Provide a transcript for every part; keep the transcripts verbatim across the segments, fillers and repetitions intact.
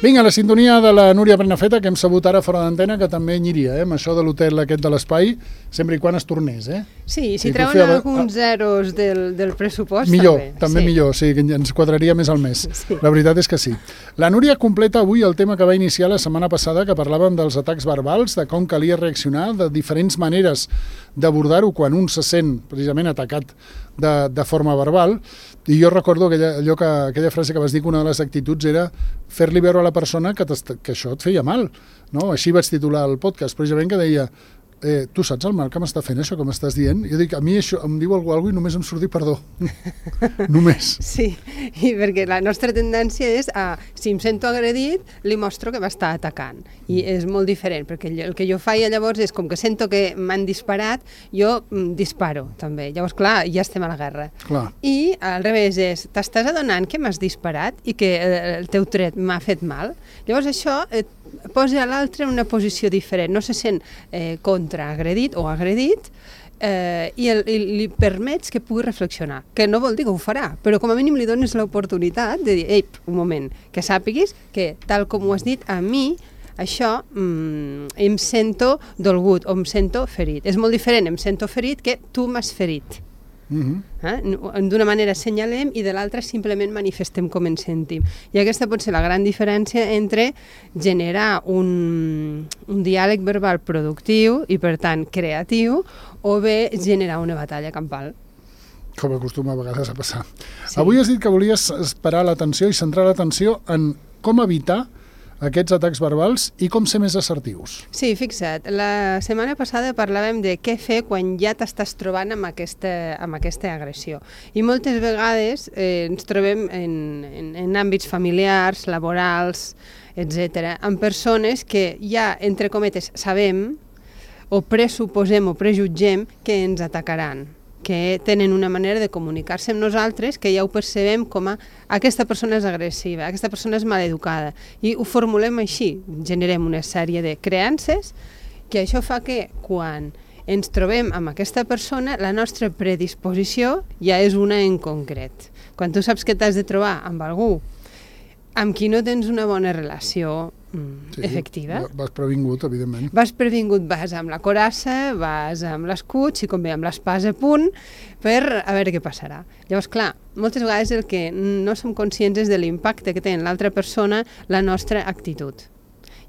Vinga, la sintonia de la Núria Prenafeta, que hem sabut ara fora d'antena, que també aniria, eh, amb això de l'hotel aquest de l'Espai, sempre i quan es tornés, eh? Sí, si treuen feia... alguns zeros del, del pressupost, millor, també. també sí. millor, sí, que ens quadraria més al mes. Sí. La veritat és que sí. La Núria completa avui el tema que va iniciar la setmana passada, que parlàvem dels atacs verbals, de com calia reaccionar, de diferents maneres d'abordar-ho quan un se sent precisament atacat de, de forma verbal. I jo recordo aquella, allò que, aquella frase que vas dir, que una de les actituds era fer-li veure a la persona que, que això et feia mal. No? Així vaig titular el podcast, precisament, que deia eh, tu saps el mal que m'està fent això que m'estàs dient? Jo dic, a mi això em diu algú, algú i només em surt dir perdó. Només. Sí, i perquè la nostra tendència és a, si em sento agredit, li mostro que m'està atacant. I és molt diferent, perquè el que jo faig llavors és, com que sento que m'han disparat, jo mm, disparo, també. Llavors, clar, ja estem a la guerra. Clar. I al revés és, t'estàs adonant que m'has disparat i que el teu tret m'ha fet mal? Llavors això et posa l'altre en una posició diferent, no se sent eh, contraagredit o agredit, eh, i, el, i li permets que pugui reflexionar, que no vol dir que ho farà, però com a mínim li dones l'oportunitat de dir, ei, un moment, que sàpiguis que tal com ho has dit a mi, això mm, em sento dolgut o em sento ferit. És molt diferent, em sento ferit, que tu m'has ferit. Uh-huh. Eh? D'una manera assenyalem i de l'altra simplement manifestem com ens sentim. I aquesta pot ser la gran diferència entre generar un, un diàleg verbal productiu i per tant creatiu o bé generar una batalla campal. Com acostuma a vegades a passar. Sí. Avui has dit que volies esperar l'atenció i centrar l'atenció en com evitar aquests atacs verbals i com ser més assertius. Sí, fixa't, la setmana passada parlàvem de què fer quan ja t'estàs trobant amb aquesta, amb aquesta agressió. I moltes vegades eh, ens trobem en, en, en àmbits familiars, laborals, etcètera, amb persones que ja, entre cometes, sabem o pressuposem o prejutgem que ens atacaran, que tenen una manera de comunicar-se amb nosaltres que ja ho percebem com a aquesta persona és agressiva, aquesta persona és maleducada, i ho formulem així, generem una sèrie de creences que això fa que quan ens trobem amb aquesta persona la nostra predisposició ja és una en concret. Quan tu saps que t'has de trobar amb algú amb qui no tens una bona relació mm, sí, efectiva. Vas previngut, evidentment. Vas previngut, vas amb la corassa, vas amb l'escut, si convé amb l'espasa a punt, per a veure què passarà. Llavors, clar, moltes vegades el que no som conscients és de l'impacte que té en l'altra persona la nostra actitud.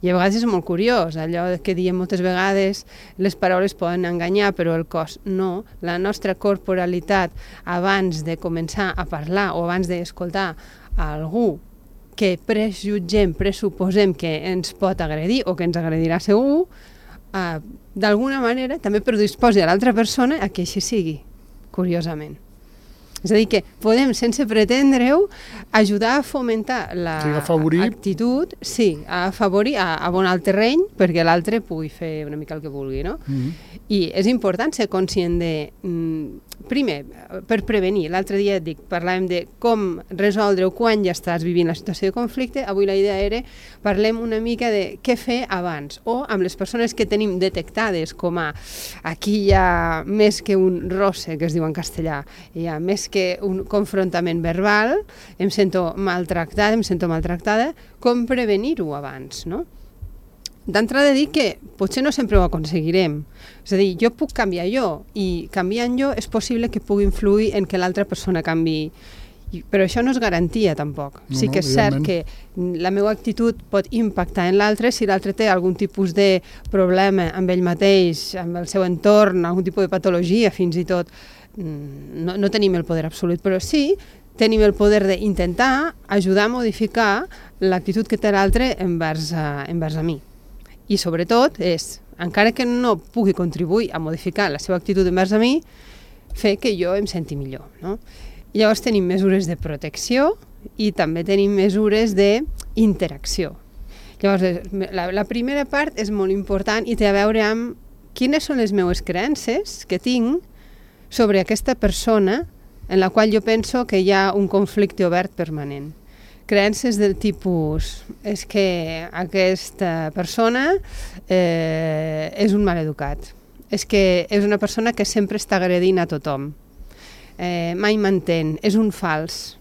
I a vegades és molt curiós, allò que diem moltes vegades, les paraules poden enganyar, però el cos no. La nostra corporalitat, abans de començar a parlar o abans d'escoltar a algú que prejutgem, pressuposem que ens pot agredir o que ens agredirà segur, eh, d'alguna manera també predisposa a l'altra persona a que així sigui, curiosament. És a dir, que podem, sense pretendre-ho, ajudar a fomentar l'actitud, sí, a afavorir, a abonar el terreny perquè l'altre pugui fer una mica el que vulgui, no? Mm-hmm. I és important ser conscient de, mm, primer, per prevenir, l'altre dia et dic, parlàvem de com resoldre-ho quan ja estàs vivint la situació de conflicte, avui la idea era, parlem una mica de què fer abans, o amb les persones que tenim detectades com a, aquí hi ha més que un roce, que es diu en castellà, hi ha més que un confrontament verbal, em sento maltractada, em sento maltractada, com prevenir-ho abans, no? D'entrada dir que potser no sempre ho aconseguirem. És a dir, jo puc canviar jo, i canviant jo és possible que pugui influir en que l'altra persona canviï. Però això no és garantia, tampoc. No, sí que és cert que la meva actitud pot impactar en l'altre si l'altre té algun tipus de problema amb ell mateix, amb el seu entorn, algun tipus de patologia, fins i tot. No, no tenim el poder absolut, però sí tenim el poder d'intentar ajudar a modificar l'actitud que té l'altre envers, uh, envers a mi. I sobretot és, encara que no pugui contribuir a modificar la seva actitud envers a mi, fer que jo em senti millor, no? I llavors tenim mesures de protecció i també tenim mesures d'interacció. Llavors, la, la primera part és molt important i té a veure amb quines són les meves creences que tinc sobre aquesta persona en la qual jo penso que hi ha un conflicte obert permanent. Creences del tipus, és que aquesta persona eh, és un maleducat, és que és una persona que sempre està agredint a tothom, eh, mai m'entén, és un fals,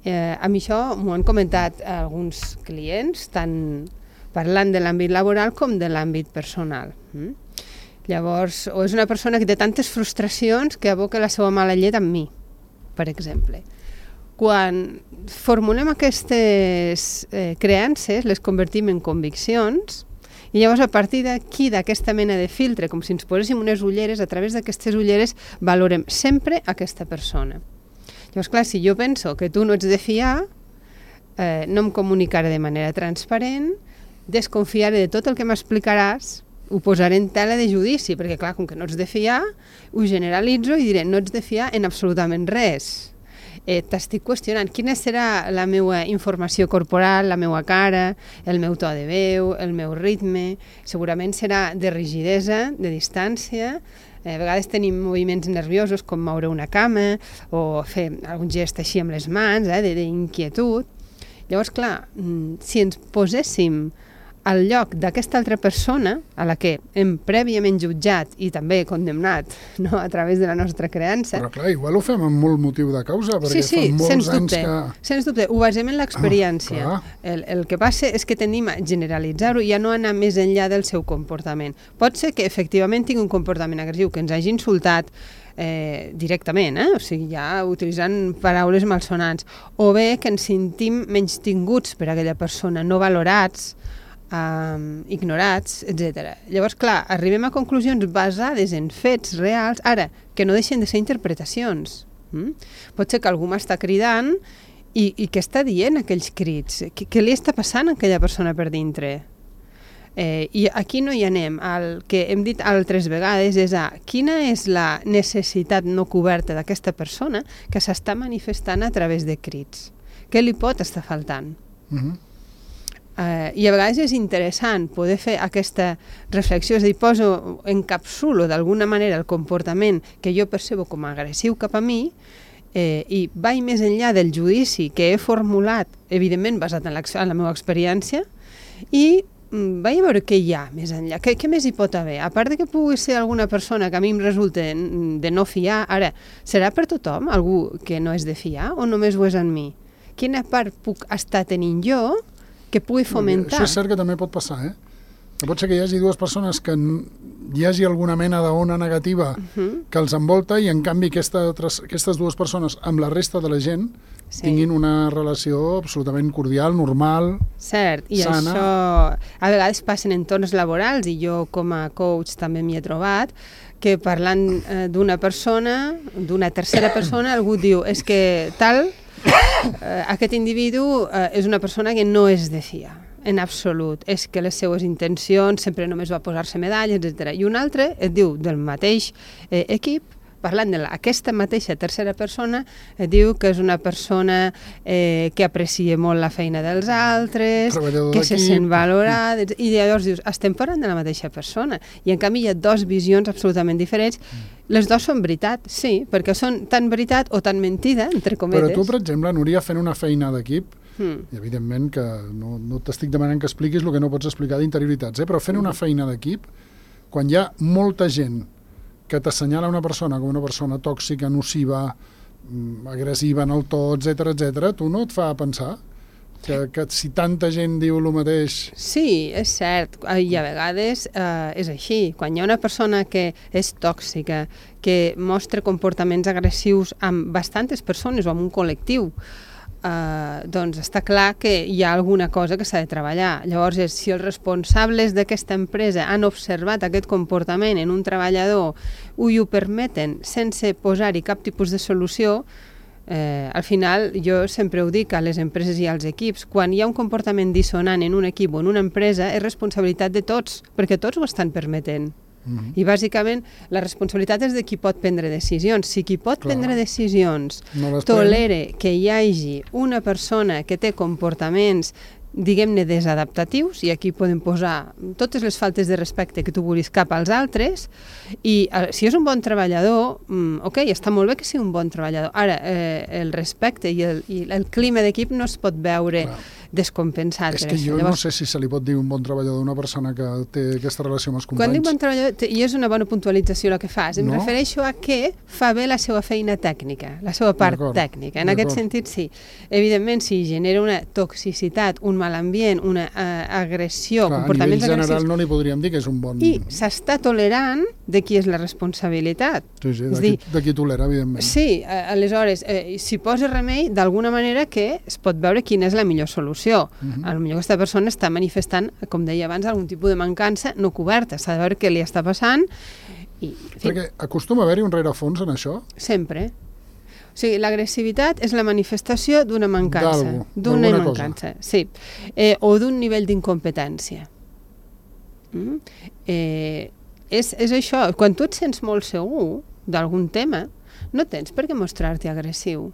Eh, a mi això m'ho han comentat alguns clients, tant parlant de l'àmbit laboral com de l'àmbit personal. Mm? Llavors, o és una persona que té tantes frustracions que aboca la seva mala llet amb mi, per exemple. Quan formulem aquestes eh, creences, les convertim en conviccions, i llavors a partir d'aquí, d'aquesta mena de filtre, com si ens poséssim unes ulleres, a través d'aquestes ulleres valorem sempre aquesta persona. Llavors, clar, si jo penso que tu no ets de fiar, eh, no em comunicaré de manera transparent, desconfiaré de tot el que m'explicaràs, ho posaré en tela de judici, perquè clar, com que no ets de fiar, ho generalitzo i diré, no ets de fiar en absolutament res. Eh, T'estic qüestionant quina serà la meva informació corporal, la meva cara, el meu to de veu, el meu ritme. Segurament serà de rigidesa, de distància. Eh, a vegades tenim moviments nerviosos com moure una cama o fer algun gest així amb les mans, eh, d'inquietud. Llavors, clar, si ens poséssim al lloc d'aquesta altra persona, a la que hem prèviament jutjat i també condemnat, no?, a través de la nostra creença... Però clar, igual ho fem amb molt motiu de causa, perquè sí, sí, fa molts sens anys dubte, que... Sens dubte, ho basem en l'experiència. Ah, el, el que passa és que tendim a generalitzar-ho i a no anar més enllà del seu comportament. Pot ser que efectivament tingui un comportament agressiu, que ens hagi insultat eh, directament, eh? O sigui, ja utilitzant paraules malsonants, o bé que ens sentim menystinguts per aquella persona, no valorats, Um, ignorats, etcètera. Llavors, clar, arribem a conclusions basades en fets reals, ara, que no deixen de ser interpretacions. Mm? Pot ser que algú m'està cridant i, i què està dient aquells crits? Què, què li està passant a aquella persona per dintre? Eh, I aquí no hi anem. El que hem dit altres vegades és a quina és la necessitat no coberta d'aquesta persona que s'està manifestant a través de crits. Què li pot estar faltant? Mhm. Uh, I a vegades és interessant poder fer aquesta reflexió, és a dir, poso, encapsulo d'alguna manera el comportament que jo percebo com a agressiu cap a mi eh, i vaig més enllà del judici que he formulat, evidentment basat en, en la meva experiència, i mm, vaig a veure què hi ha més enllà, què, què més hi pot haver, a part de que pugui ser alguna persona que a mi em resulta de no fiar. Ara, serà per tothom algú que no és de fiar o només ho és en mi? Quina part puc estar tenint jo que pugui fomentar? Això és cert que també pot passar, eh? Que pot ser que hi hagi dues persones que hi hagi alguna mena d'ona negativa uh-huh. que els envolta i en canvi aquesta, aquestes dues persones amb la resta de la gent sí. tinguin una relació absolutament cordial, normal, cert, i sana. Això a vegades passa en entorns laborals i jo com a coach també m'hi he trobat que parlant eh, d'una persona, d'una tercera persona, algú diu és que tal... Uh, aquest individu uh, és una persona que no és de fiar, en absolut. És que les seues intencions sempre només va posar-se medalles, etcètera. I un altre et diu del mateix eh, equip, parlant d'aquesta mateixa tercera persona, et diu que és una persona eh, que aprecia molt la feina dels altres, que se sent valorat, i llavors dius, estem parlant de la mateixa persona. I en canvi hi ha dues visions absolutament diferents. Les dues són veritat, sí, perquè són tan veritat o tan mentida, entre cometes. Però tu, per exemple, Núria, fent una feina d'equip, mm. i evidentment que no, no t'estic demanant que expliquis el que no pots explicar d'interioritats, eh? Però fent una feina d'equip, quan hi ha molta gent que t'assenyala una persona com una persona tòxica, nociva, agressiva en el to, etcètera, etcètera, tu no et fa pensar que, que si tanta gent diu el mateix... Sí, és cert, i a vegades eh, és així. Quan hi ha una persona que és tòxica, que mostra comportaments agressius amb bastantes persones o amb un col·lectiu, eh, doncs està clar que hi ha alguna cosa que s'ha de treballar. Llavors, és, si els responsables d'aquesta empresa han observat aquest comportament en un treballador i ho permeten sense posar-hi cap tipus de solució, Eh, al final, jo sempre ho dic a les empreses i als equips, quan hi ha un comportament dissonant en un equip o en una empresa, és responsabilitat de tots, perquè tots ho estan permetent. Mm-hmm. I bàsicament la responsabilitat és de qui pot prendre decisions. Si qui pot Clar. prendre decisions no tolera que hi hagi una persona que té comportaments diguem-ne desadaptatius, i aquí podem posar totes les faltes de respecte que tu vulguis cap als altres, i eh, si és un bon treballador, mm, ok, està molt bé que sigui un bon treballador. Ara, eh, el respecte i el, i el clima d'equip no es pot veure Clar. descompensat. És que jo Llavors, no sé si se li pot dir un bon treballador una persona que té aquesta relació amb els companys. Quan dic bon treballador, i és una bona puntualització la que fas, em no? refereixo a que fa bé la seva feina tècnica, la seva part tècnica. En aquest sentit, sí. Evidentment, si genera una toxicitat, un mal ambient, una uh, agressió, Clar, comportaments agressius... A nivell general no li podríem dir que és un bon... I s'està tolerant de qui és la responsabilitat. Sí, sí, de, qui, de qui tolera, evidentment. Sí, aleshores, eh, si posa remei, d'alguna manera que es pot veure quina és la millor solució. Uh-huh. A lo millor aquesta persona està manifestant, com deia abans, algun tipus de mancança no coberta. S'ha de veure què li està passant. I, en fi. Perquè acostuma a haver-hi un rerefons en això? Sempre. O sigui, l'agressivitat és la manifestació d'una mancança. D'una mancança, cosa. Sí. Eh, o d'un nivell d'incompetència. Mm? Eh, és, és això. Quan tu et sents molt segur d'algun tema, no tens per què mostrar-te agressiu.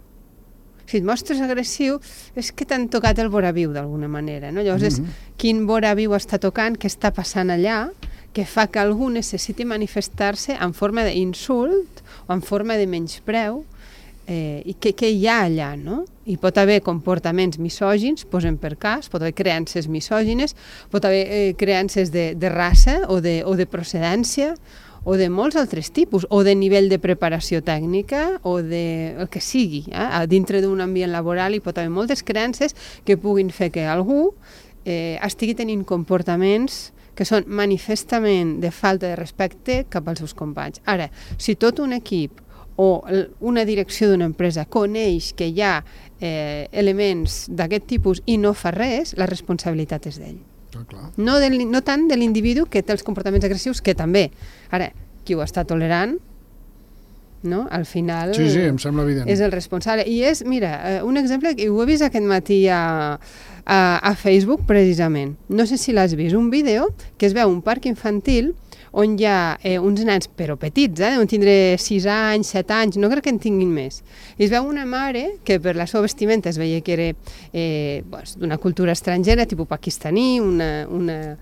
Si et mostres agressiu, és que t'han tocat el voraviu d'alguna manera, no? Llavors mm-hmm. és quin voraviu està tocant, què està passant allà, que fa que algú necessiti manifestar-se en forma d'insult o en forma de menyspreu, eh, i què, què hi ha allà, no? Hi pot haver comportaments misògins, posem per cas, pot haver creences misògines, pot haver eh, creences de, de raça o de, o de procedència, o de molts altres tipus, o de nivell de preparació tècnica, o de el que sigui. Eh? Dintre d'un ambient laboral hi pot haver moltes creences que puguin fer que algú eh, estigui tenint comportaments que són manifestament de falta de respecte cap als seus companys. Ara, si tot un equip o una direcció d'una empresa coneix que hi ha eh, elements d'aquest tipus i no fa res, la responsabilitat és d'ell. Ah, clar. No, de, no tant de l'individu que té els comportaments agressius, que també. Ara, qui ho està tolerant, no? Al final sí, sí, em sembla evident. És el responsable. I és, mira, un exemple, i ho he vist aquest matí a, a, a Facebook, precisament. No sé si l'has vist, un vídeo que es veu un parc infantil on hi ha eh, uns nens, però petits, eh, deuen tindre sis anys, set anys, no crec que en tinguin més. I es veu una mare que per la seva vestimenta es veia que era eh, doncs, d'una cultura estrangera, tipus pakistaní, una, una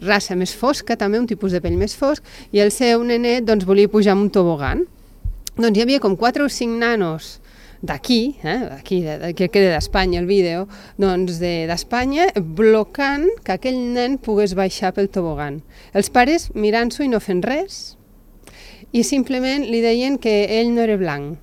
raça més fosca, també un tipus de pell més fosc, i el seu nenet doncs, volia pujar amb un tobogan. Doncs hi havia com quatre o cinc nanos d'aquí, eh, d'aquí, de, de, que queda d'Espanya el vídeo, doncs d'Espanya, de, blocant que aquell nen pogués baixar pel tobogan. Els pares mirant-s'ho i no fent res, i simplement li deien que ell no era blanc,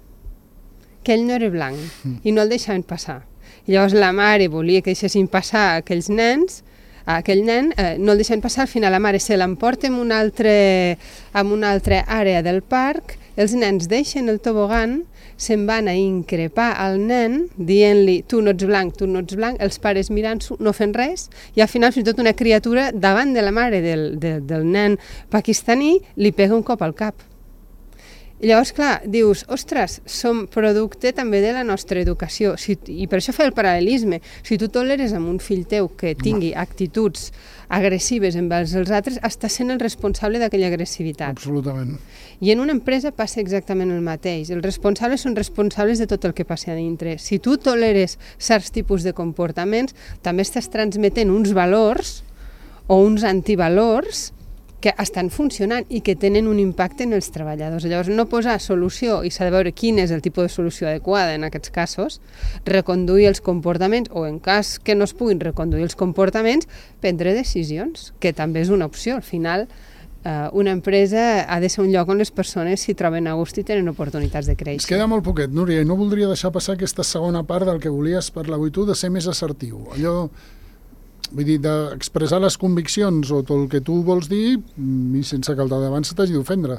que ell no era blanc, mm. i no el deixaven passar. I llavors la mare volia que deixessin passar aquells nens, a aquell nen, eh, no el deixen passar, al final la mare se l'emporta en una altra, en una altra àrea del parc, els nens deixen el tobogan, se'n van a increpar al nen, dient-li, tu no ets blanc, tu no ets blanc, els pares mirant-s'ho, no fent res, i al final fins i tot una criatura davant de la mare del, del, del nen pakistaní li pega un cop al cap. I llavors, clar, dius, ostres, som producte també de la nostra educació, si, i per això fa el paral·lelisme. Si tu toleres amb un fill teu que tingui actituds agressives envers els altres, estàs sent el responsable d'aquella agressivitat. Absolutament. I en una empresa passa exactament el mateix. Els responsables són responsables de tot el que passa a dintre. Si tu toleres certs tipus de comportaments, també estàs transmetent uns valors o uns antivalors que estan funcionant i que tenen un impacte en els treballadors. Llavors, no posar solució, i s'ha de veure quin és el tipus de solució adequada en aquests casos, reconduir els comportaments, o en cas que no es puguin reconduir els comportaments, prendre decisions, que també és una opció. Al final, eh, una empresa ha de ser un lloc on les persones s'hi troben a gust i tenen oportunitats de créixer. Es queda molt poquet, Núria, i no voldria deixar passar aquesta segona part del que volies parlar avui tu, de ser més assertiu. Allò... Vull dir, d'expressar les conviccions o tot el que tu vols dir i sense que el de davant se t'hagi d'ofendre.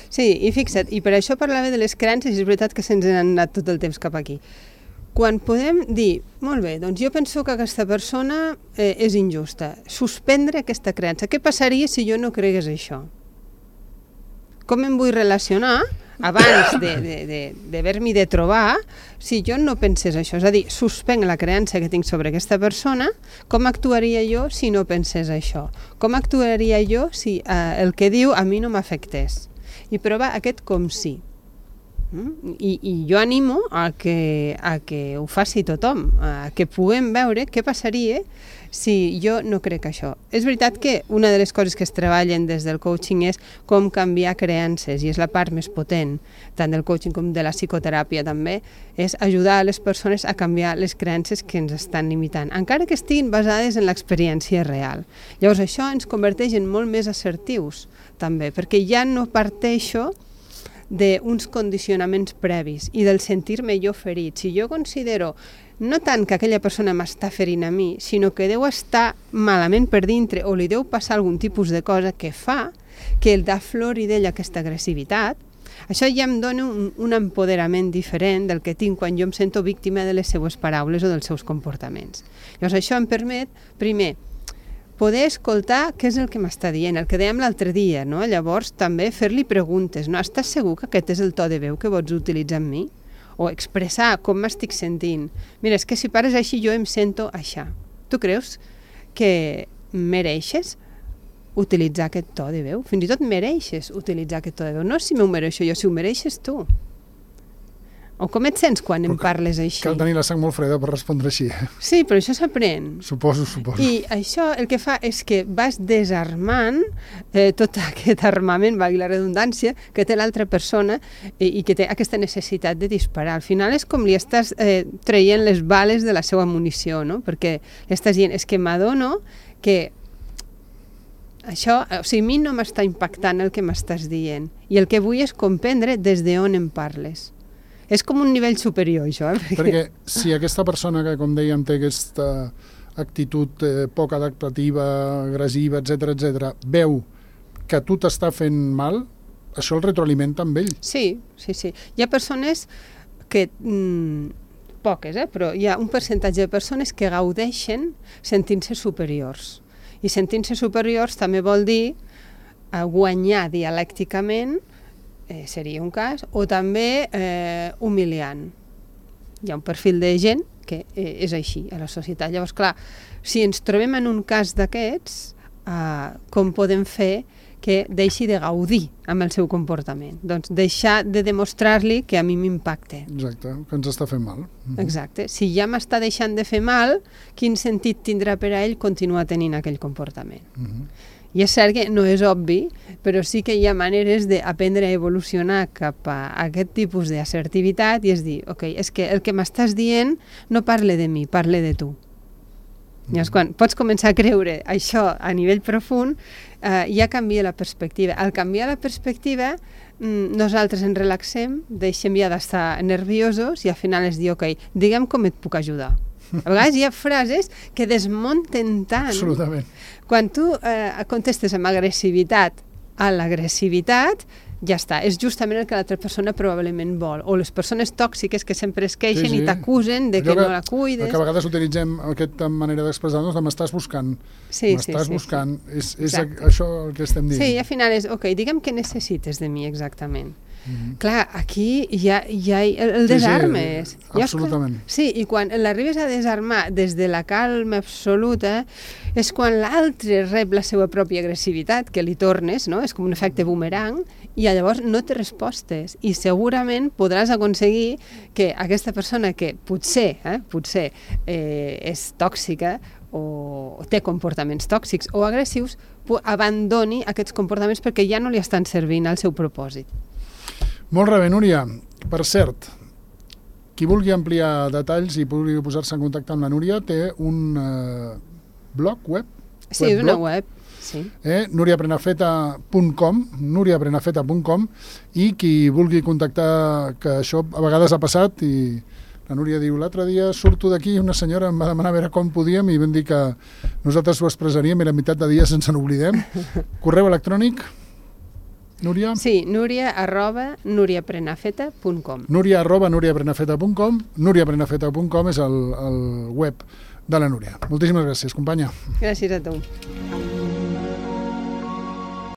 Sí, i fixa't, i per això parlava de les creences, i és veritat que se'ns han anat tot el temps cap aquí. Quan podem dir, molt bé, doncs jo penso que aquesta persona eh, és injusta, suspendre aquesta creença. Què passaria si jo no cregués això? Com em vull relacionar abans d'haver-m'hi de, de, de trobar si jo no pensés això? És a dir, suspenc la creença que tinc sobre aquesta persona, com actuaria jo si no pensés això? Com actuaria jo si eh, el que diu a mi no m'afectés? I provar aquest com sí. Mm? I, I jo animo a que, a que ho faci tothom, a que puguem veure què passaria si jo no crec això. És veritat que una de les coses que es treballen des del coaching és com canviar creences, i és la part més potent, tant del coaching com de la psicoteràpia també, és ajudar a les persones a canviar les creences que ens estan limitant, encara que estiguin basades en l'experiència real. Llavors això ens converteix en molt més assertius, també, perquè ja no parteixo d'uns condicionaments previs i del sentir-me jo ferit. Si jo considero no tant que aquella persona m'està ferint a mi, sinó que deu estar malament per dintre o li deu passar algun tipus de cosa que fa que el d'aflori d'ella aquesta agressivitat, això ja em dona un, un empoderament diferent del que tinc quan jo em sento víctima de les seues paraules o dels seus comportaments. Llavors això em permet, primer, poder escoltar què és el que m'està dient, el que dèiem l'altre dia, no? Llavors també fer-li preguntes, no? Estàs segur que aquest és el to de veu que vols utilitzar amb mi? O expressar com m'estic sentint. Mira, és que si pares així jo em sento així. Tu creus que mereixes utilitzar aquest to de veu? Fins i tot mereixes utilitzar aquest to de veu. No si m'ho mereixo jo, si ho mereixes tu. O com et sents quan em parles així? Cal tenir la sang molt freda per respondre així. Sí, però això s'aprèn. Suposo, suposo. I això el que fa és que vas desarmant eh, tot aquest armament, valgui la redundància, que té l'altra persona i, i que té aquesta necessitat de disparar. Al final és com li estàs eh, traient les bales de la seva munició, no? Perquè li estàs dient, és que m'adono que això, o sigui, a mi no m'està impactant el que m'estàs dient i el que vull és comprendre des d'on em parles. És com un nivell superior, això. Eh? Perquè... perquè si aquesta persona que, com dèiem, té aquesta actitud eh, poc adaptativa, agressiva, etcètera, etcètera, veu que tu t'està fent mal, això el retroalimenta amb ell. Sí, sí, sí. Hi ha persones que, mmm, poques, eh, però hi ha un percentatge de persones que gaudeixen sentint-se superiors. I sentint-se superiors també vol dir eh, guanyar dialècticament, Eh, seria un cas, o també eh, humiliant. Hi ha un perfil de gent que eh, és així a la societat. Llavors, clar, si ens trobem en un cas d'aquests, eh, com podem fer que deixi de gaudir amb el seu comportament? Doncs deixar de demostrar-li que a mi m'impacta. Exacte, que ens està fent mal. Uh-huh. Exacte. Si ja m'està deixant de fer mal, quin sentit tindrà per a ell continuar tenint aquell comportament? Uh-huh. I és cert que no és obvi, però sí que hi ha maneres d'aprendre a evolucionar cap a aquest tipus d'assertivitat i és dir, ok, és que el que m'estàs dient no parle de mi, parle de tu. Mm. Llavors, quan pots començar a creure això a nivell profund, eh, ja canvia la perspectiva. Al canviar la perspectiva, nosaltres ens relaxem, deixem ja d'estar nerviosos i al final és dir, ok, digue'm com et puc ajudar. A vegades hi ha frases que desmunten tant. Absolutament. Quan tu eh, contestes amb agressivitat a l'agressivitat, ja està. És justament el que l'altra persona probablement vol. O les persones tòxiques que sempre es queixen sí, sí. i t'acusen de que, que no la cuides. Que a vegades utilitzem aquesta manera d'expressar-nos de m'estàs buscant. Sí, m'estàs sí, sí, buscant. Sí. És, és això el que estem dient. Sí, i al final és, ok, digue'm què necessites de mi exactament. Mm-hmm. Clar, aquí hi ha, hi ha el, el desarmes. Sí, sí, absolutament. Sí, i quan l'arribes a desarmar des de la calma absoluta és quan l'altre rep la seva pròpia agressivitat, que li tornes, no? És com un efecte boomerang, i llavors no té respostes. I segurament podràs aconseguir que aquesta persona que potser, eh, potser eh, és tòxica o té comportaments tòxics o agressius, abandoni aquests comportaments perquè ja no li estan servint al seu propòsit. Molt bé, Núria. Per cert, qui vulgui ampliar detalls i vulgui posar-se en contacte amb la Núria té un eh, blog web? Sí, web, una blog, web. Sí. Eh, núria prenafeta punt com núria prenafeta punt com i qui vulgui contactar, que això a vegades ha passat i la Núria diu, l'altre dia surto d'aquí i una senyora em va demanar a veure com podíem i vam dir que nosaltres ho expressaríem i la meitat de dia sense n'oblidem. Correu electrònic? Núria? Sí, núria arroba núria prenafeta punt com. Núria arroba núria prenafeta punt com. núria prenafeta punt com és el, el web de la Núria. Moltíssimes gràcies, companya. Gràcies a tu.